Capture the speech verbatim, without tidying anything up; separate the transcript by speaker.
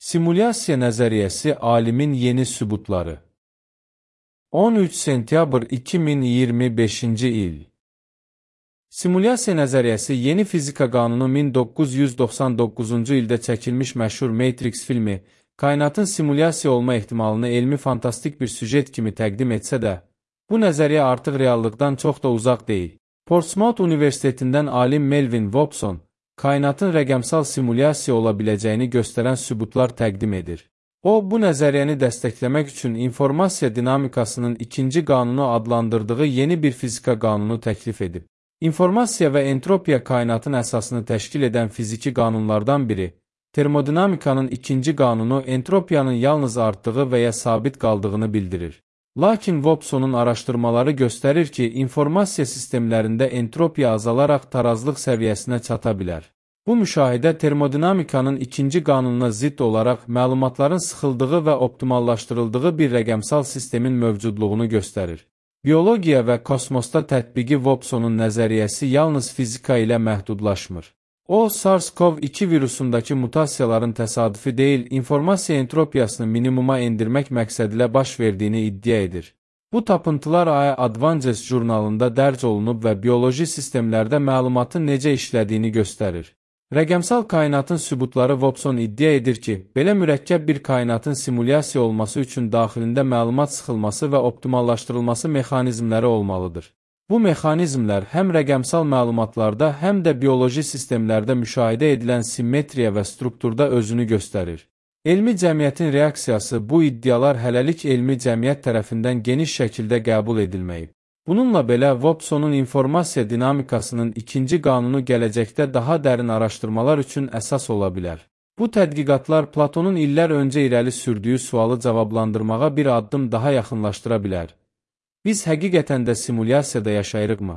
Speaker 1: Simulyasiya nəzəriyyəsi alimin yeni sübutları. on üç sentyabr iki min iyirmi beşinci il. Simulyasiya nəzəriyyəsi yeni fizika qanunu min doqquz yüz doxsan doqquzuncu ildə çəkilmiş məşhur Matrix filmi, kainatın simulyasiya olma ehtimalını elmi fantastik bir süjet kimi təqdim etsə də, bu nəzəriyyə artıq reallıqdan çox da uzaq deyil. Portsmouth Universitetindən alim Melvin Wobson, kainatın rəqəmsal simulyasiya ola biləcəyini göstərən sübutlar təqdim edir. O, bu nəzəriyyəni dəstəkləmək üçün informasiya dinamikasının ikinci qanunu adlandırdığı yeni bir fizika qanunu təklif edib. İnformasiya və entropiya kainatın əsasını təşkil edən fiziki qanunlardan biri, termodinamikanın ikinci qanunu entropiyanın yalnız artdığı və ya sabit qaldığını bildirir. Lakin Wobsonun araşdırmaları göstərir ki, informasiya sistemlərində entropiya azalaraq tarazlıq səviyyəsinə çata bilər. Bu müşahidə termodinamikanın ikinci qanununa zidd olaraq məlumatların sıxıldığı və optimallaşdırıldığı bir rəqəmsal sistemin mövcudluğunu göstərir. Biologiya və kosmosda tətbiqi Wobsonun nəzəriyyəsi yalnız fizika ilə məhdudlaşmır. O, SARS-CoV iki virusundakı mutasiyaların təsadüfi deyil, informasiya entropiyasını minimuma endirmək məqsədilə baş verdiyini iddia edir. Bu tapıntılar A I Advances jurnalında dərc olunub və bioloji sistemlərdə məlumatın necə işlədiyini göstərir. Rəqəmsal kainatın sübutları Wobson iddia edir ki, belə mürəkkəb bir kainatın simulyasiya olması üçün daxilində məlumat sıxılması və optimallaşdırılması mexanizmləri olmalıdır. Bu mexanizmlər həm rəqəmsal məlumatlarda, həm də bioloji sistemlərdə müşahidə edilən simmetriya və strukturda özünü göstərir. Elmi cəmiyyətin reaksiyası bu iddialar hələlik elmi cəmiyyət tərəfindən geniş şəkildə qəbul edilməyib. Bununla belə, Wobsonun informasiya dinamikasının ikinci qanunu gələcəkdə daha dərin araşdırmalar üçün əsas ola bilər. Bu tədqiqatlar Platonun illər öncə irəli sürdüyü sualı cavablandırmağa bir addım daha yaxınlaşdıra bilər. Biz həqiqətən də simulyasiyada yaşayırıqmı?